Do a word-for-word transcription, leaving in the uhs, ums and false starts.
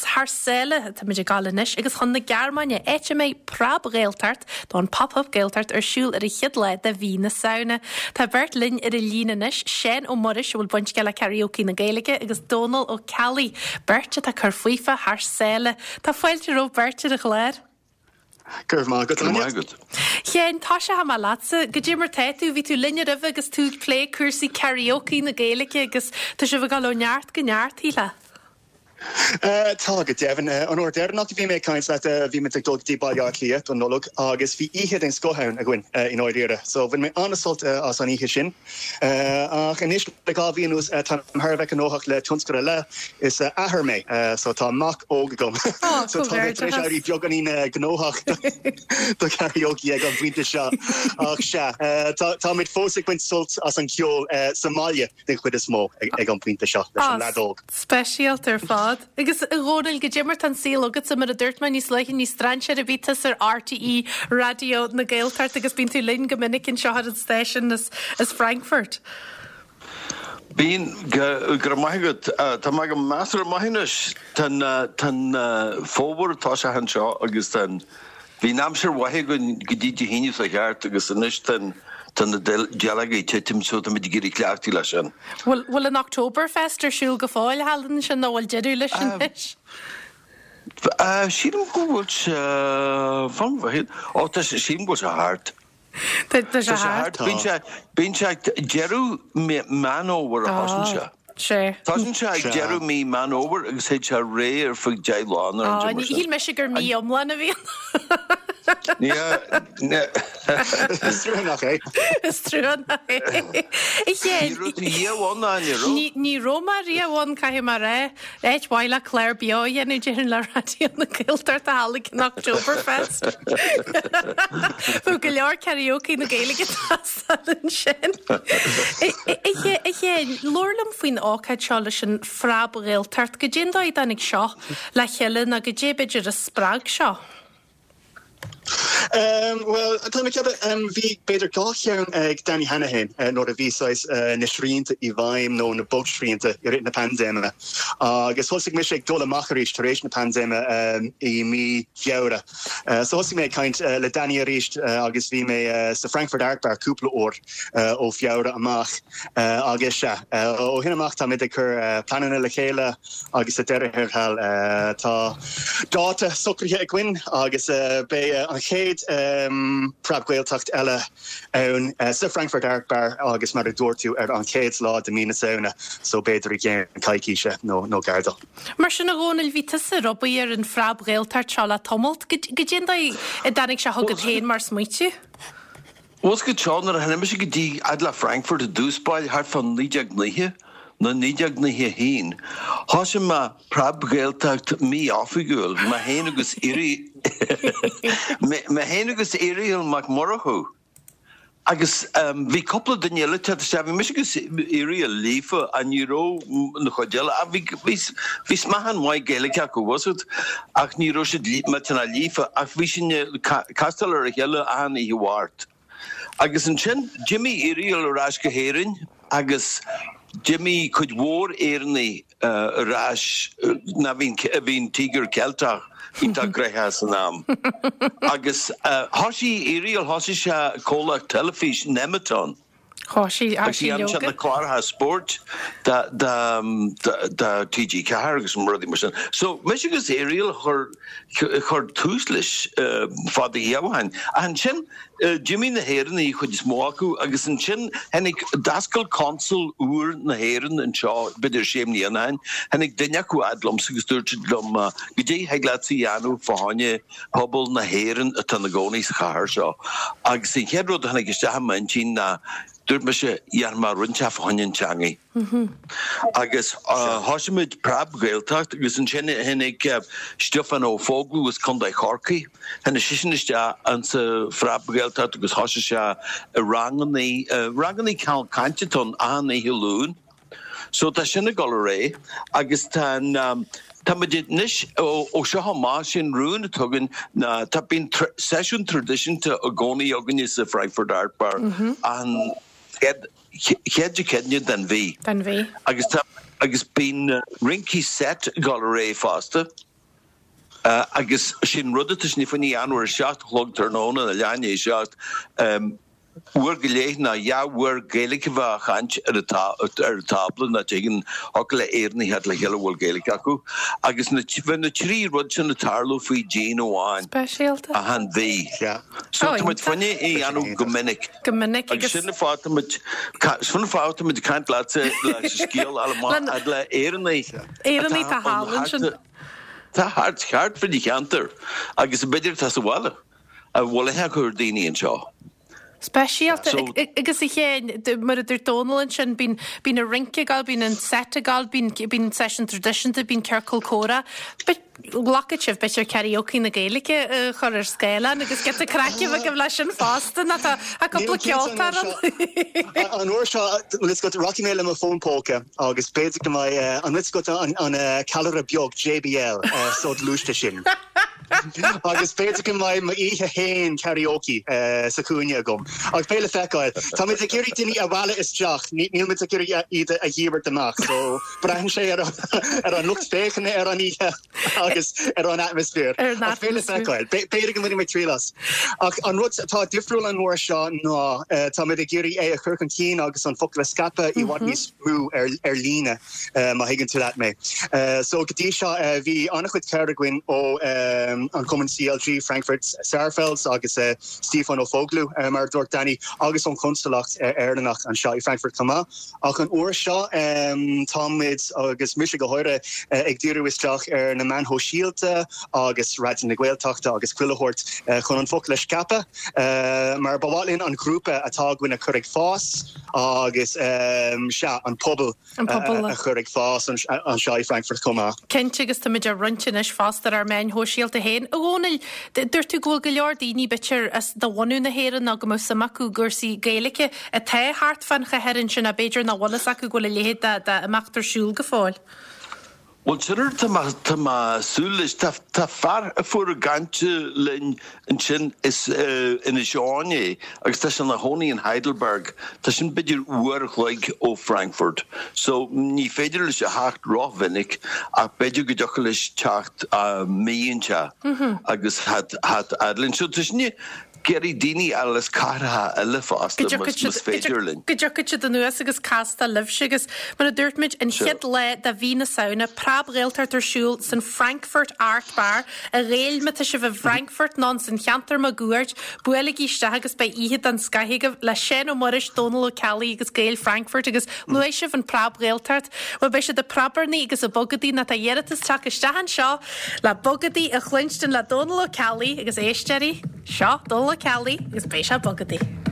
Is thar sáile táimid ag gabháil anois agus chun na Gearmáine áit a mbeidh Preab-Ghaeltacht nó an Pop-up Gaeltacht ar siúl ar an chéad lá de mhí na Samhna. Tá beirt linn ar an líne anois Seán Ó Muiris a bhfuil baint aige le karaoke na Gaeilge agus Dónal Ó Ceallaigh, beirt atá ag cur faofa thar sáile. Tá fáilte romhaibh beirt ar an chlár. Go raibh maith agat. Chéin tá sé ha leatsa, goidé mar tá tú bhí tú linne roimhe agus tú ag plé cúrsaí karaoke na Gaeilge agus tá sibh ag dul ó neart go neart thíle. Uh, tá go deimhin uh, an uair dheireanach bhí mé caint leat uh, bhí mé ag dul dtí Baile Átha Cliath don Nollaig agus bhí oíche den scoth ann againn uh, in áiríre. So bhain mé an-sult uh, as an oíche sin. Uh, ach anois le dhá mhí anuas uh, tá thar a bheith gnóthach le tionscadal eile is uh, athair mé uh, so tá mac óg agam. Oh, so tá éirí beagáinín uh, gnóthach do karaoke ag an bpointe seo ach sea uh, táimid fós ag baint sult as an ceol uh, sa mbaile den chuid is mó ag, ag an bpointe seo leis an leaid óg. Speisialta ar fad. Agus a Dhónaill goidé mar tá an saol agat mar a dúirt mé níos luaithe ní strainséir ar bith tusa ar RTÉ Raidió na Gaeltachta agus bíonn tú linn go minic anseo ar an station as, as Frankfurt. Bíonn go raibh maith agat tá mé go measartha maith anois Tá fómhar tá sé anseo agus tan bhí aimsir mhaith go dtí Dé hAoine sa cheart agus anois tan tá na dealga ag titim so tá muid ag iarraidh cleachtadh leis sin. Bhfuil bhfuil an Oktoberfest ar siúl go fóill thall ansin nó bhfuil deireadh leis anois? Sílim go bhfuil sé fan ó tá sílim go bhfuil sé thart. Tá sé thart. Bíonn sé bíonn sé deireadh Meán Fómhair a thosaíonn sé. Sé. Tosaíonn sé ag deireadh mí Meán Fómhair agus théid sé ar aghaidh ar feadh deich lá ar an Shíl mise gur mí iomlán a bhíonn. Is trua nach é. Is trua nach é. Ní raibh mé riamh ann caithfidh mé a rá áit mhaith le clár beo a dhéanamh déarfainn le Raidió na Gaeltachta thall ag an Oktoberfest. Bhí go leor karaoke na Gaeilge ansin. Chéin labhair liom faoin ócáid seo leis an Phreab-Ghaeltacht, goidé an dóigh a dtáinig seo le chéile nó goidé b'fhéidir a spreag seo. Um, well tá um, bhí b'fhéidir dhá cheann ag Danny Hanahan uh, nuair a bhí uh, na srianta i bhfeidhm nó na bogsrianta i rith na paindéime. Agus thosaigh mise ag dul amach arís tar éis na paindéime um, i mí Feabhra. Uh, so thosaigh mé caint uh, le Danny arís uh, agus bhí mé uh, sa Frankfurt Art Bar cúpla uair uh, ó Feabhra amach uh, agus se uh, ó shin amach tá muid ag cur uh, pleananna le chéile agus sa deireadh thiar uh, tá dáta socraithe againn agus uh, beidh uh, an chéad um, Preab-Ghaeltacht eile ann uh, sa Frankfurt Art Bar agus mar a dúirt tú ar an chéad lá de mí na Samhna so b'fhéidir i gceann coicíse nó nó gar dó. Mar sin a Dhónaill bhí tusa ag obair ar an Phreab-Ghaeltacht seo le tamall goidé an dóigh a dtáinig sé chugat féin mar smaoineamh? Was go seo nuair a tháinig mise go dtí fhad le Frankfurt i dtús báire thart fá naoi déag nócha nó naoi déag nócha haon. Thosaigh mé Preab-Ghaeltacht mí-oifigiúil mé féin agus Iri mé féin agus Irial Mac Murchú. Agus um, bhí cúpla duine eile se bhí mise agus Irial líofa an ní raibh na chuid eile a bhí bhí smeathan maith Gaeilge acu wasad ach ní raibh siad millteanach líofa ach bhí sin castáil ar a chéile achan oíche Mháirt. Agus ansin d'imigh Irial ar ais go hÉirinn agus d'imigh cuid mhór Éireannaigh uh, ar ais na bhín bhín Tíogar Ceilteach iontach gnóthach san am. Agus uh, thosaigh Irial thosaigh sé comhlacht teilifís Nemeton. Thosaigh sé na cláracha spóirt da da da TG Ceathair agus an rudaí mar sin. So mise agus Irial chur chur tús leis uh, fada dhéhain. Ansin uh, d'imigh na hÉireannaigh chuid is mó acu agus ansin tháinig d'oscail consal úr na hÉireann anseo b'fhéidir sé bliana ó shin, tháinig duine acu fhad liomsa agus dúirt siad liom uh, goidé thig leat a dhéanamh fá choinne pobal na hÉireann atá ina gcónaí sa chathair seo. Agus an chéad rud a tháinig isteach i m'intinn ná dúirt mise dhéanfaidh mé rud inteacht fá choinne an teangaidh. Agus thosaigh muid Preab-Ghaeltacht agus ansin tháinig Stiofán Ó Foghlú as Contae Chorcaí. Tháinig seisean isteach an sa Phreab-Ghaeltacht agus thosaigh sé ranganna ranganna cainte don achan oíche Luain. So tá sin ag dul ar aghaidh agus tá um, Tá muid anois ó seo amach sin rún atá againn na tá bíonn seisiún traidisiúnta i gcónaí againne sa Frankfurt Art Bar an chéad Dé Céadaoine den mhí. Den mhí. Agus tá agus bíonn rince set ag dul ar aghaidh fosta. Agus sin rud atá sinne fá choinne a dhéanamh ar a seacht a chlog tráthnóna, nó leath i ndiaidh a seacht, uair go leith nó dhá uair Gaeilge a bheith á chaint ar an tábla nó tuigeann thiocfadh le Éireannaigh theacht le chéile a bhfuil Gaeilge acu. Agus na, bheadh na trí rud sin ag tarlú faoi dhíon amháin. Speisialta. Achan mhí. So tá muid fá choinne é a dhéanamh go minic. Go minic agus. Sin an fáth tá muid, sin an fáth tá muid ag caint leatsa leis an scéal a fháil amach fhad le Éireannaigh. Éireannaigh atá thall ansin. Tá thart thart fá cheantar agus b'fhéidir atá sa bhaile a bhfuil aithne acu ar daoine anseo. Speisialta. Agus a Sheáin, mar a dúirt Dónal ansin, bíonn bíonn an rince ag gabháil, bíonn an set ag gabháil, bíonn bíonn seisiún traidisiúnta, bíonn ciorcal comhrá. Glacfaidh sibh b'fhéidir karaoke na Gaeilge a chur ar scáileán agus giota craic a bheith agaibh leis sin fosta, nó tá cúpla ceoltóir ann. An uair seo, bhfuil fhios agat, rachaidh mé le mo fón póca agus b'fhéidir go mbeidh, an bhfuil fhios agat an ceallra beag JBL soghluaiste sin? Agus b'fhéidir go mbeidh m'oíche féin karaoke sa chúinne agam. Ach beidh le feiceáil. Táimid ag iarraidh daoine a mhealladh isteach, níl muid ag iarraidh iad a dhíbirt amach. So braitheann sé ar ar an lucht féachana ar an oíche agus ar an atmaisféar. Ach beidh le feiceáil. B'fhéidir go mbainfidh mé triail as. Ach an rud atá difriúil an uair seo ná táimid ag iarraidh é a chur chun cinn agus an focal a scaipeadh i bhfad níos mó ar ar líne, má thuigeann tú leat mé. So go dtí seo bhí an-chuid cabhair againn ó an Cumann CLG Frankfurt Sarfels agus Stiofán Ó Foghlú, mar a dúirt Danny, agus ón Chonsalacht Éireannach anseo i Frankfurt chomh maith. Ach an uair seo táimid, agus mise go háirithe, ag díriú isteach ar na meáin shóisialta agus Raidió na Gaeltachta agus chuile shórt chun an focal a scaipeadh mar ba mhaith linn an grúpa atá againn a chur ag fás agus sea, an pobal. An pobal. a chur ag fás anseo i Frankfurt chomh maith. Cinnte, agus táimid á roinnt anois fosta ar ár meáin shóisialta féin. A Dhónaill, dúirt tú go bhfuil go leor daoine, b'fhéidir, as de bhunadh na hÉireann nó go mbeadh suim acu i gcúrsaí Gaeilge atá thart fán chathair ansin ná b'fhéidir nach bhfuil fhios acu go bhfuil a leithéid de imeacht ar siúl go fóill. Bhuel, sin rud tá mé, tá mé ag súil leis. Tá, tá fear a fuair ag caint linn ansin, is Inis Eoghain é agus tá sé ina chónaí in Heidelberg. Tá sin b'fhéidir uair a chloig ó Frankfurt. So, ní féidir leis a theacht rómhinic ach b'fhéidir go dtiocfadh leis teacht mí inteacht agus theacht fhad linn. So, tá sin ag iarraidh daoine eile as cathracha eile fosta, más féidir linn. Go dtiocfaidh siad anuas agus castáil libhse agus, mar a dúirt muid, an chéad lá de mhí na Samhna, Preab-Ghaeltacht ar siúl san Frankfurt Art Bar. A Ghaeil, má tá sibh i bhFrankfurt nó san cheantar máguaird, buailigí isteach agus beidh oíche den scoth agaibh le Seán Ó Muiris, Dónal Ó Ceallaigh agus Gaeil Frankfurt agus luaigh sibh an Preab-Ghaeltacht. Bhuel, beidh siad ag preabarnaigh agus ag bogadaí nó tá iarratas teacht isteach anseo le bogadaí a chluinstin le Dónal Ó Ceallaigh agus éisteoirí. Seo Dónal Ó Ceallaigh agus beidh sé ag bogadaí.